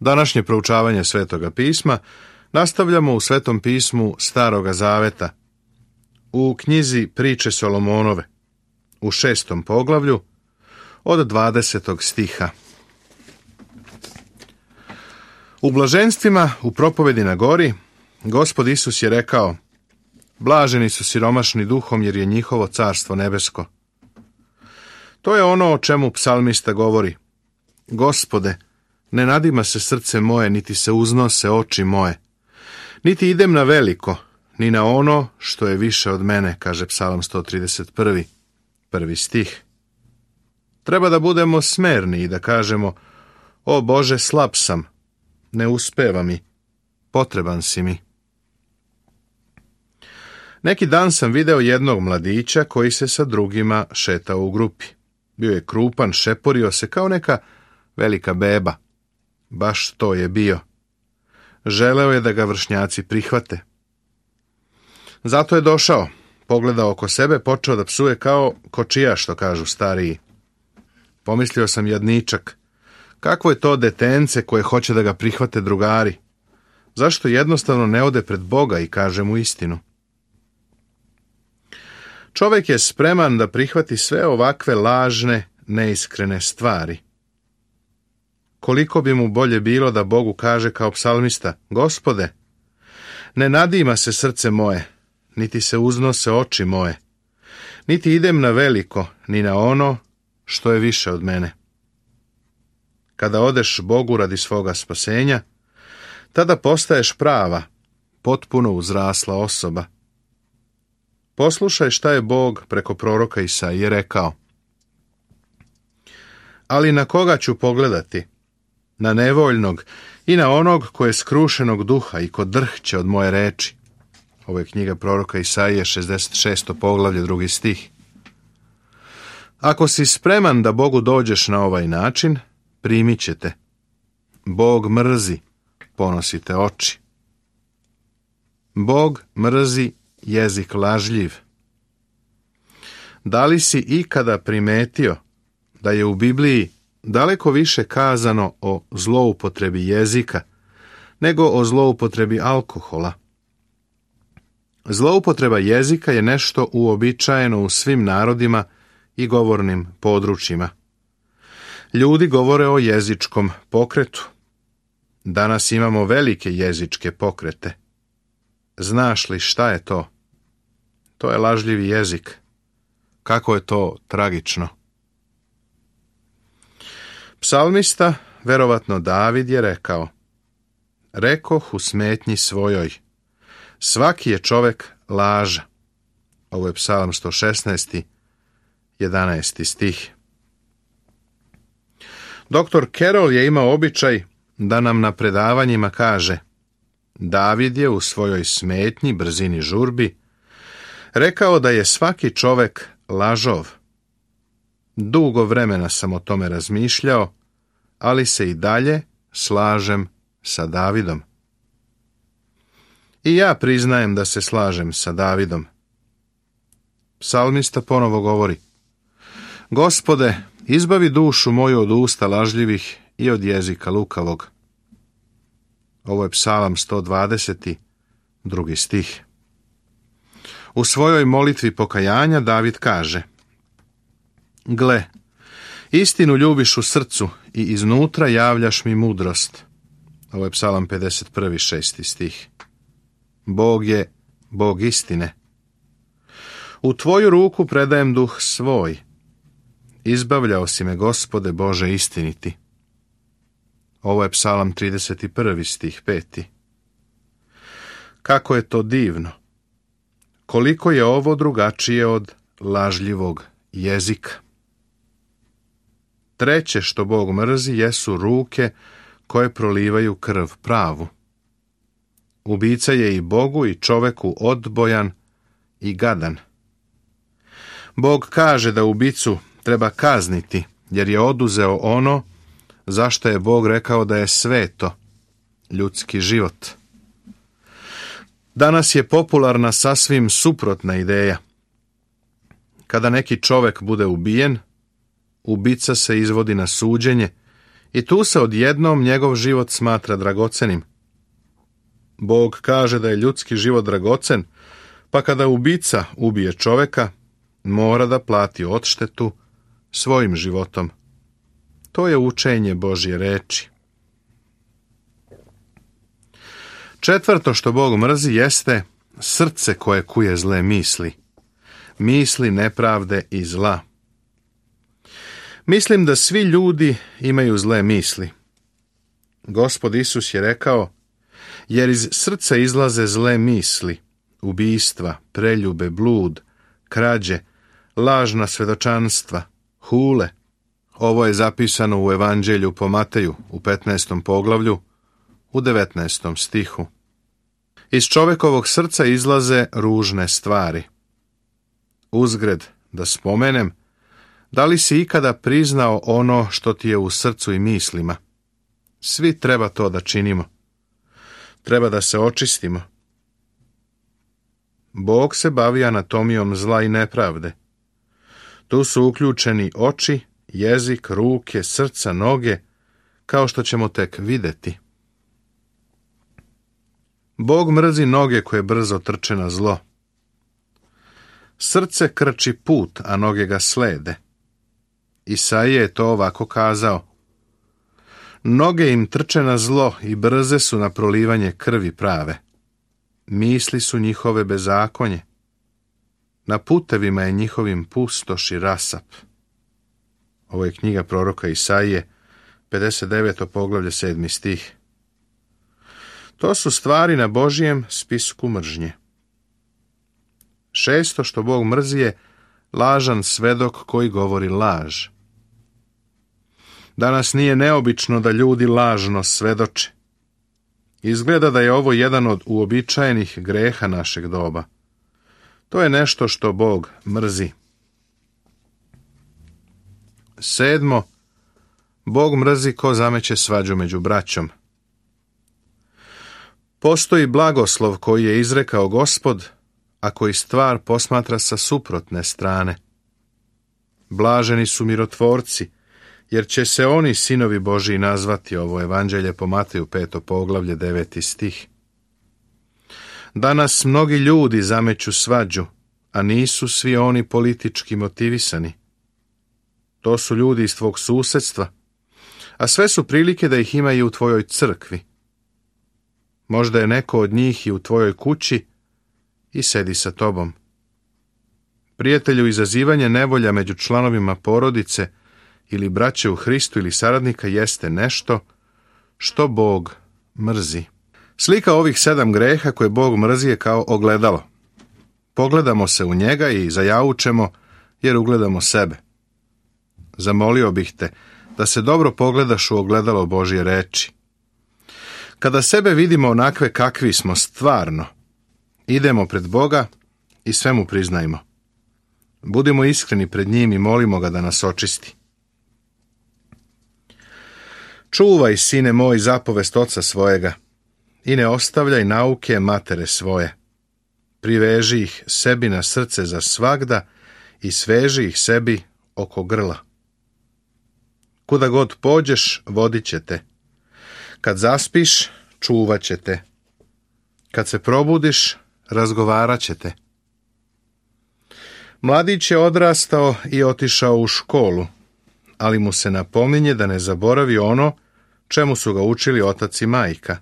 Današnje proučavanje Svetoga pisma nastavljamo u Svetom pismu Staroga Zaveta, u knjizi Priče Solomonove, u 6. poglavlju, od 20. stiha. U blaženstvima u propovedi na gori, Gospod Isus je rekao: blaženi su siromašni duhom, jer je njihovo carstvo nebesko. To je ono o čemu psalmista govori: Gospode, ne nadima se srce moje, niti se uznose oči moje, niti idem na veliko, ni na ono što je više od mene, kaže Psalam 131. 1. stih. Treba da budemo smerni i da kažemo: o Bože, slab sam, ne uspeva mi, potreban si mi. Neki dan sam video jednog mladića koji se sa drugima šetao u grupi. Bio je krupan, šeporio se kao neka velika beba. Baš to je bio. Želeo je da ga vršnjaci prihvate. Zato je došao, pogledao oko sebe, počeo da psuje kao kočija, što kažu stariji. Pomislio sam: jadničak, kakvo je to detence koje hoće da ga prihvate drugari? Zašto jednostavno ne ode pred Boga i kaže mu istinu? Čovjek je spreman da prihvati sve ovakve lažne, neiskrene stvari. Koliko bi mu bolje bilo da Bogu kaže kao psalmista: Gospode, ne nadima se srce moje, niti se uznose oči moje, niti idem na veliko, ni na ono što je više od mene. Kada odeš Bogu radi svoga spasenja, tada postaješ prava, potpuno uzrasla osoba. Poslušaj šta je Bog preko proroka Isaije rekao: ali na koga ću pogledati? Na nevoljnog i na onog ko je skrušenog duha i ko drhće od moje reči. Ovo je knjiga proroka Isaije, 66. poglavlje, 2. stih. Ako si spreman da Bogu dođeš na ovaj način, primit će te. Bog mrzi ponosite oči. Bog mrzi jezik lažljiv. Da li si ikada primetio da je u Bibliji daleko više kazano o zloupotrebi jezika nego o zloupotrebi alkohola? Zloupotreba jezika je nešto uobičajeno u svim narodima i govornim područjima. Ljudi govore o jezičkom pokretu. Danas imamo velike jezičke pokrete. Znaš li šta je to? To je lažljivi jezik. Kako je to tragično. Psalmista, verovatno David, je rekao: rekoh u smetnji svojoj, svaki je čovek laža. Ovo je Psalam 116. 11. stih. Dr. Carroll je imao običaj da nam na predavanjima kaže: David je u svojoj smetnji, brzini, žurbi rekao da je svaki čovek lažov. Dugo vremena sam o tome razmišljao, ali se i dalje slažem sa Davidom. I ja priznajem da se slažem sa Davidom. Psalmista ponovo govori: Gospode, izbavi dušu moju od usta lažljivih i od jezika lukavog. Ovo je Psalam 120. 2. stih. U svojoj molitvi pokajanja David kaže: gle, istinu ljubiš u srcu i iznutra javljaš mi mudrost. Ovo je Psalam 51. 6. stih. Bog je Bog istine. U tvoju ruku predajem duh svoj. Izbavljao si me, Gospode Bože istiniti. Ovo je Psalam 31. stih 5. Kako je to divno! Koliko je ovo drugačije od lažljivog jezika. Treće što Bog mrzi jesu ruke koje prolivaju krv pravu. Ubica je i Bogu i čoveku odbojan i gadan. Bog kaže da ubicu treba kazniti, jer je oduzeo ono zašto je Bog rekao da je sveto, ljudski život. Danas je popularna sasvim suprotna ideja. Kada neki čovek bude ubijen, ubica se izvodi na suđenje I tu se odjednom njegov život smatra dragocenim. Bog kaže da je ljudski život dragocen, pa kada ubica ubije čoveka, mora da plati odštetu svojim životom. To je učenje Božje reči. Četvrto što Bog mrzi jeste srce koje kuje zle misli. Misli nepravde i zla. Mislim da svi ljudi imaju zle misli. Gospod Isus je rekao, jer iz srca izlaze zle misli, ubijstva, preljube, blud, krađe, lažna svedočanstva, hule. Ovo je zapisano u Evanđelju po Mateju u 15. poglavlju, u 19. stihu. Iz čovekovog srca izlaze ružne stvari. Uzgred, da spomenem, da li si ikada priznao ono što ti je u srcu i mislima? Svi treba to da činimo. Treba da se očistimo. Bog se bavi anatomijom zla i nepravde. Tu su uključeni oči, jezik, ruke, srca, noge, kao što ćemo tek vidjeti. Bog mrzi noge koje brzo trče na zlo. Srce krči put, a noge ga slede. Isaija je to ovako kazao. Noge im trče na zlo i brze su na prolivanje krvi prave. Misli su njihove bezakonje. Na putevima je njihovim pustoš i rasap. Ovo je knjiga proroka Isaije, 59. poglavlje, 7. stih. To su stvari na Božijem spisku mržnje. Šesto što Bog mrzi je lažan svedok koji govori laž. Danas nije neobično da ljudi lažno svedoče. Izgleda da je ovo jedan od uobičajenih greha našeg doba. To je nešto što Bog mrzi. Sedmo, Bog mrzi ko zameće svađu među braćom. Postoji blagoslov koji je izrekao Gospod, a koji stvar posmatra sa suprotne strane. Blaženi su mirotvorci, jer će se oni sinovi Božiji nazvati. Ovo Evanđelje po Mateju 5. poglavlje 9. stih. Danas mnogi ljudi zameću svađu, a nisu svi oni politički motivisani. To su ljudi iz tvog susjedstva, a sve su prilike da ih ima i u tvojoj crkvi. Možda je neko od njih i u tvojoj kući i sedi sa tobom. Prijatelju, izazivanje nevolja među članovima porodice ili braće u Hristu ili saradnika jeste nešto što Bog mrzi. Slika ovih 7 greha koje Bog mrzi je kao ogledalo. Pogledamo se u njega i zajaučemo jer ugledamo sebe. Zamolio bih te da se dobro pogledaš u ogledalo Božje reči. Kada sebe vidimo onakve kakvi smo stvarno, idemo pred Boga i sve mu priznajmo. Budimo iskreni pred njim i molimo ga da nas očisti. Čuvaj, sine moj, zapovest oca svojega i ne ostavljaj nauke matere svoje. Priveži ih sebi na srce za svagda i sveži ih sebi oko grla. Kuda god pođeš, vodit će te. Kad zaspiš, čuvat će te. Kad se probudiš, razgovarat će te. Mladić je odrastao i otišao u školu, ali mu se napominje da ne zaboravi ono čemu su ga učili otac i majka.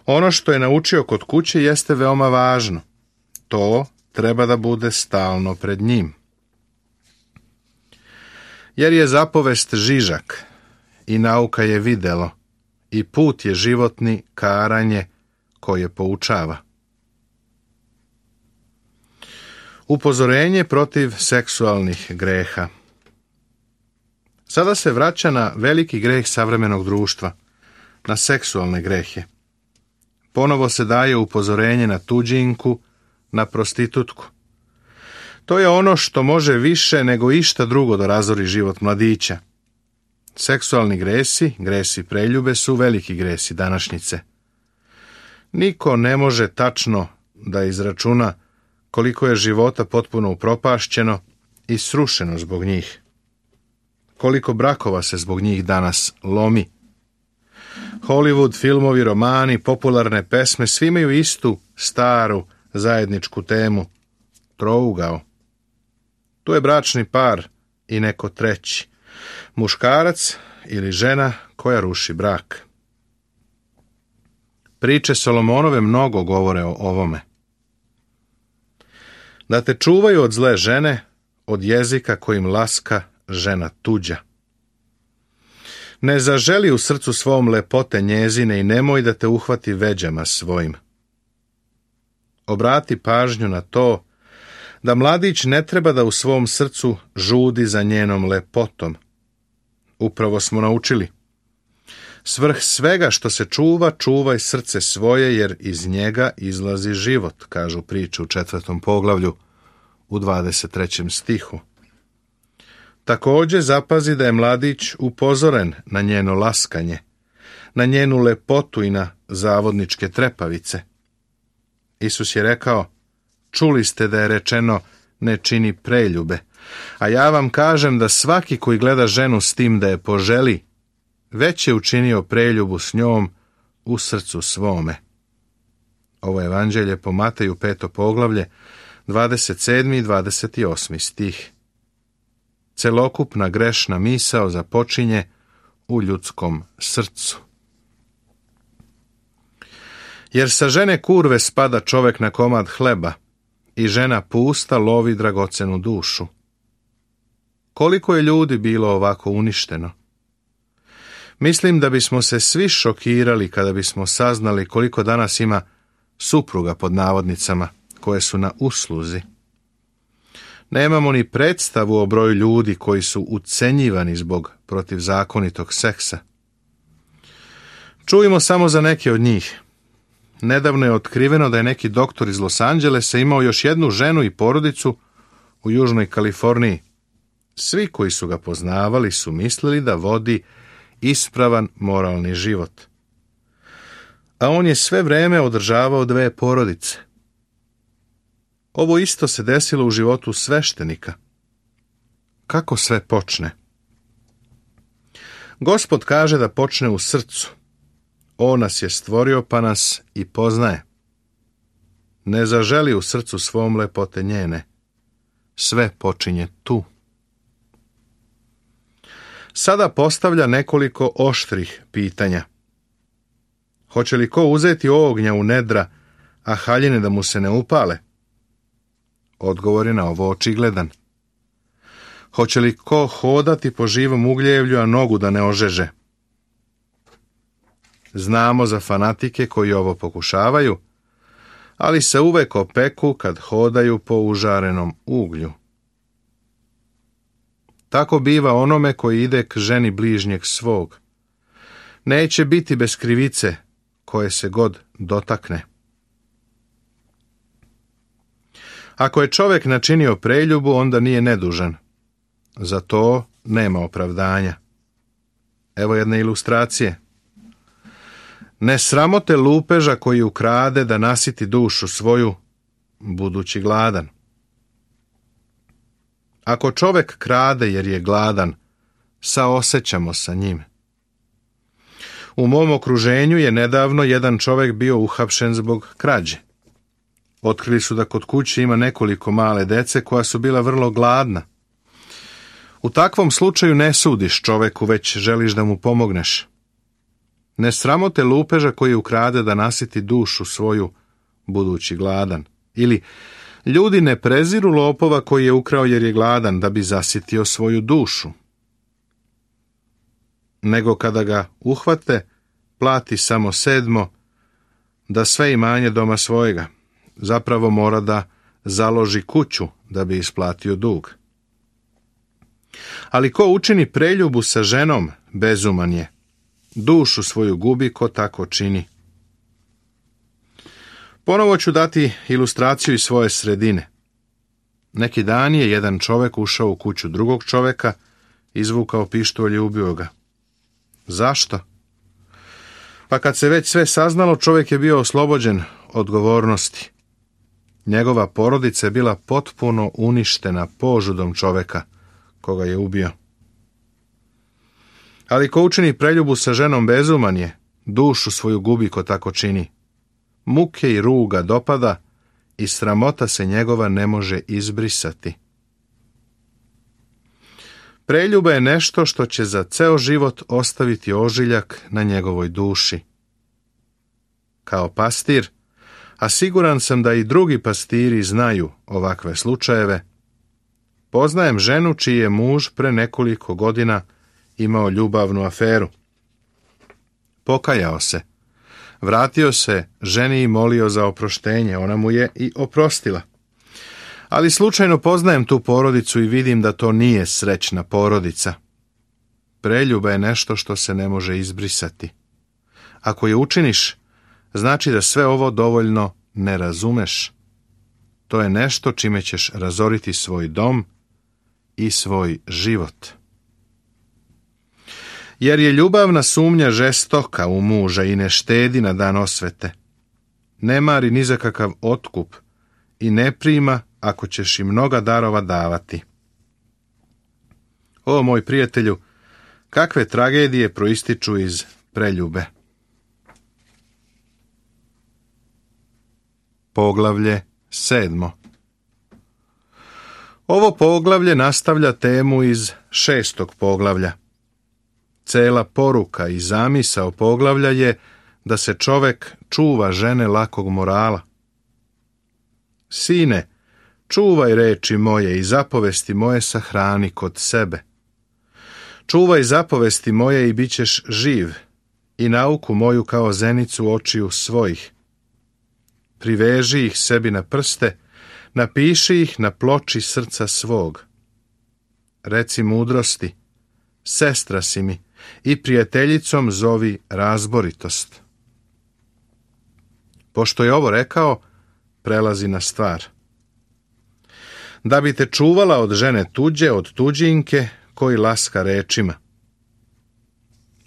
Ono što je naučio kod kuće jeste veoma važno. To treba da bude stalno pred njim. Jer je zapovest žižak i nauka je videlo i put je životni karanje koje poučava. Upozorenje protiv seksualnih greha. Sada se vraća na veliki greh savremenog društva, na seksualne grehe. Ponovo se daje upozorenje na tuđinku, na prostitutku. To je ono što može više nego išta drugo da razori život mladića. Seksualni gresi, gresi preljube, su veliki gresi današnjice. Niko ne može tačno da izračuna koliko je života potpuno upropašćeno i srušeno zbog njih. Koliko brakova se zbog njih danas lomi. Hollywood, filmovi, romani, popularne pesme, svi imaju istu, staru, zajedničku temu. Trougao. Tu je bračni par i neko treći. Muškarac ili žena koja ruši brak. Priče Solomonove mnogo govore o ovome. Da te čuvaju od zle žene, od jezika kojim laska žena tuđa. Ne zaželi u srcu svom lepote njezine i nemoj da te uhvati veđama svojim. Obrati pažnju na to da mladić ne treba da u svom srcu žudi za njenom lepotom. Upravo smo naučili. Svrh svega što se čuva, čuvaj srce svoje, jer iz njega izlazi život, kažu priče u 4. poglavlju u 23. stihu. Također zapazi da je mladić upozoren na njeno laskanje, na njenu lepotu i na zavodničke trepavice. Isus je rekao, čuli ste da je rečeno ne čini preljube, a ja vam kažem da svaki koji gleda ženu s tim da je poželi, već je učinio preljubu s njom u srcu svome. Ovo je evanđelje po Mateju 5. poglavlje, 27. i 28. stih. Celokupna grešna misao započinje u ljudskom srcu. Jer sa žene kurve spada čovek na komad hleba i žena pusta lovi dragocenu dušu. Koliko je ljudi bilo ovako uništeno? Mislim da bismo se svi šokirali kada bismo saznali koliko danas ima supruga pod navodnicama koje su na usluzi. Nemamo ni predstavu o broju ljudi koji su ucenjivani zbog protivzakonitog seksa. Čujemo samo za neke od njih. Nedavno je otkriveno da je neki doktor iz Los Angelesa imao još jednu ženu i porodicu u Južnoj Kaliforniji. Svi koji su ga poznavali su mislili da vodi ispravan moralni život. A on je sve vreme održavao 2 porodice. Ovo isto se desilo u životu sveštenika. Kako sve počne? Gospod kaže da počne u srcu. On nas je stvorio pa nas i poznaje. Ne zaželi u srcu svom lepote njene. Sve počinje tu. Sada postavlja nekoliko oštrih pitanja. Hoće li ko uzeti ognja u nedra, a haljine da mu se ne upale? Odgovor je na ovo očigledan. Hoće li ko hodati po živom ugljevlju, a nogu da ne ožeže? Znamo za fanatike koji ovo pokušavaju, ali se uvek opeku kad hodaju po užarenom uglju. Tako biva onome koji ide k ženi bližnjeg svog. Neće biti bez krivice koje se god dotakne. Ako je čovjek načinio preljubu, onda nije nedužan. Za to nema opravdanja. Evo jedne ilustracije. Ne sramote lupeža koji ukrade da nasiti dušu svoju, budući gladan. Ako čovjek krade jer je gladan, saosećamo sa njim. U mom okruženju je nedavno jedan čovjek bio uhapšen zbog krađe. Otkrili su da kod kuće ima nekoliko male dece koja su bila vrlo gladna. U takvom slučaju ne sudiš čoveku, već želiš da mu pomogneš. Ne sramote lupeža koji ukrade da nasiti dušu svoju, budući gladan. Ili ljudi ne preziru lopova koji je ukrao jer je gladan da bi zasitio svoju dušu. Nego kada ga uhvate, plati samo 7, da sve imanje doma svojega. Zapravo mora da založi kuću da bi isplatio dug. Ali ko učini preljubu sa ženom, bezuman je. Dušu svoju gubi ko tako čini. Ponovo ću dati ilustraciju iz svoje sredine. Neki dan je jedan čovjek ušao u kuću drugog čovjeka, izvukao pištolj i ubio ga. Zašto? Pa kad se već sve saznalo, čovjek je bio oslobođen odgovornosti. Njegova porodica je bila potpuno uništena požudom čovjeka koga je ubio. Ali ko učini preljubu sa ženom bezuman je, dušu svoju gubi ko tako čini. Muke i ruga dopada i sramota se njegova ne može izbrisati. Preljuba je nešto što će za ceo život ostaviti ožiljak na njegovoj duši. Kao pastir, a siguran sam da i drugi pastiri znaju ovakve slučajeve, poznajem ženu čiji je muž pre nekoliko godina imao ljubavnu aferu. Pokajao se, vratio se ženi i molio za oproštenje, ona mu je i oprostila. Ali slučajno poznajem tu porodicu i vidim da to nije srećna porodica. Preljuba je nešto što se ne može izbrisati. Ako je učiniš, znači da sve ovo dovoljno ne razumeš. To je nešto čime ćeš razoriti svoj dom i svoj život. Jer je ljubavna sumnja žestoka u muža i ne štedi na dan osvete. Ne mari ni za kakav otkup i ne prima ako ćeš i mnoga darova davati. O, moj prijatelju, kakve tragedije proističu iz preljube. Poglavlje 7. Ovo poglavlje nastavlja temu iz 6. poglavlja. Cela poruka i zamisao poglavlja je da se čovek čuva žene lakog morala. Sine, čuvaj reči moje i zapovesti moje sahrani kod sebe. Čuvaj zapovesti moje i bit ćeš živ, i nauku moju kao zenicu očiju svojih. Priveži ih sebi na prste, napiši ih na ploči srca svog. Reci mudrosti, sestra si mi, i prijateljicom zovi razboritost. Pošto je ovo rekao, prelazi na stvar. Da bi te čuvala od žene tuđe, od tuđinke, koji laska rečima.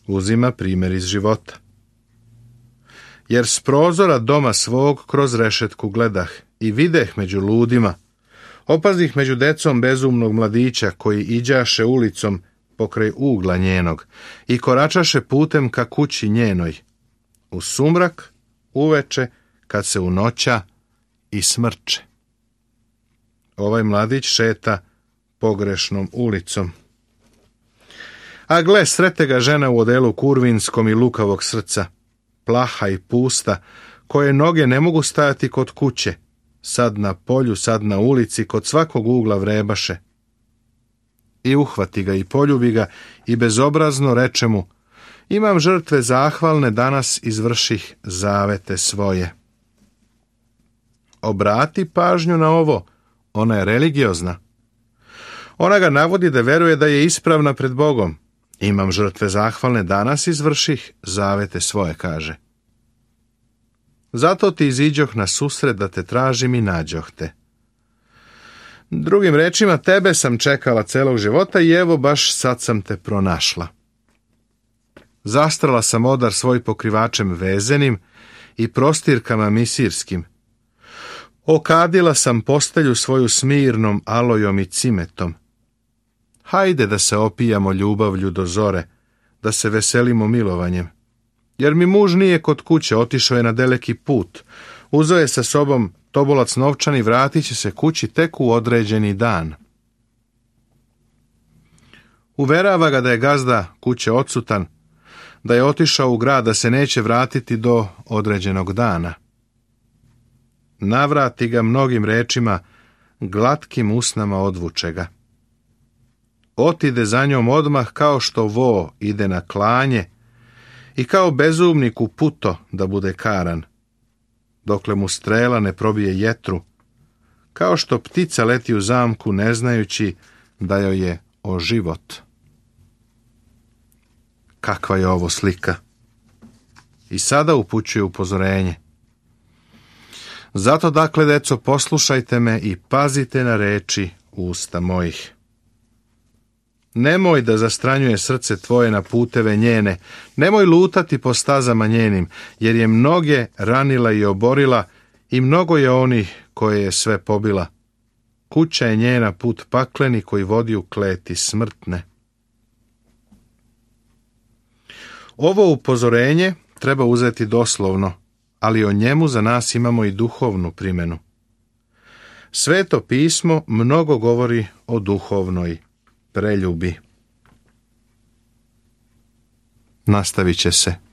Uzima primjer iz života. Jer s prozora doma svog kroz rešetku gledah i videh među ludima, opazih među decom bezumnog mladića koji iđaše ulicom pokraj ugla njenog i koračaše putem ka kući njenoj, u sumrak, uveče, kad se unoća i smrče. Ovaj mladić šeta pogrešnom ulicom. A gle, srete ga žena u odelu kurvinskom i lukavog srca, plaha i pusta, koje noge ne mogu stajati kod kuće, sad na polju, sad na ulici, kod svakog ugla vrebaše. I uhvati ga i poljubi ga i bezobrazno reče mu: imam žrtve zahvalne, danas izvrših zavete svoje. Obrati pažnju na ovo, ona je religiozna. Ona ga navodi da veruje da je ispravna pred Bogom. Imam žrtve zahvalne, danas izvrših zavete svoje, kaže. Zato ti iziđoh na susret da te tražim i nađoh te. Drugim rečima, tebe sam čekala celog života i evo baš sad sam te pronašla. Zastrala sam odar svoj pokrivačem vezenim i prostirkama misirskim. Okadila sam postelju svoju smirnom alojom i cimetom. Hajde da se opijamo ljubavlju do zore, da se veselimo milovanjem. Jer mi muž nije kod kuće, otišao je na daleki put. Uzeo je sa sobom tobolac novčan i vratit će se kući tek u određeni dan. Uverava ga da je gazda kuće odsutan, da je otišao u grad, da se neće vratiti do određenog dana. Navrati ga mnogim rečima, glatkim usnama odvuče ga. Otide za njom odmah kao što vo ide na klanje i kao bezumnik u puto da bude karan, dokle mu strela ne probije jetru, kao što ptica leti u zamku ne znajući da joj je o život. Kakva je ovo slika? I sada upućuje upozorenje. Zato dakle, deco, poslušajte me i pazite na reči usta mojih. Nemoj da zastranjuje srce tvoje na puteve njene, nemoj lutati po stazama njenim, jer je mnoge ranila i oborila i mnogo je onih koje je sve pobila. Kuća je njena put pakleni koji vodi u kleti smrtne. Ovo upozorenje treba uzeti doslovno, ali o njemu za nas imamo i duhovnu primjenu. Sveto pismo mnogo govori o duhovnoj preljubi. Nastavit će se.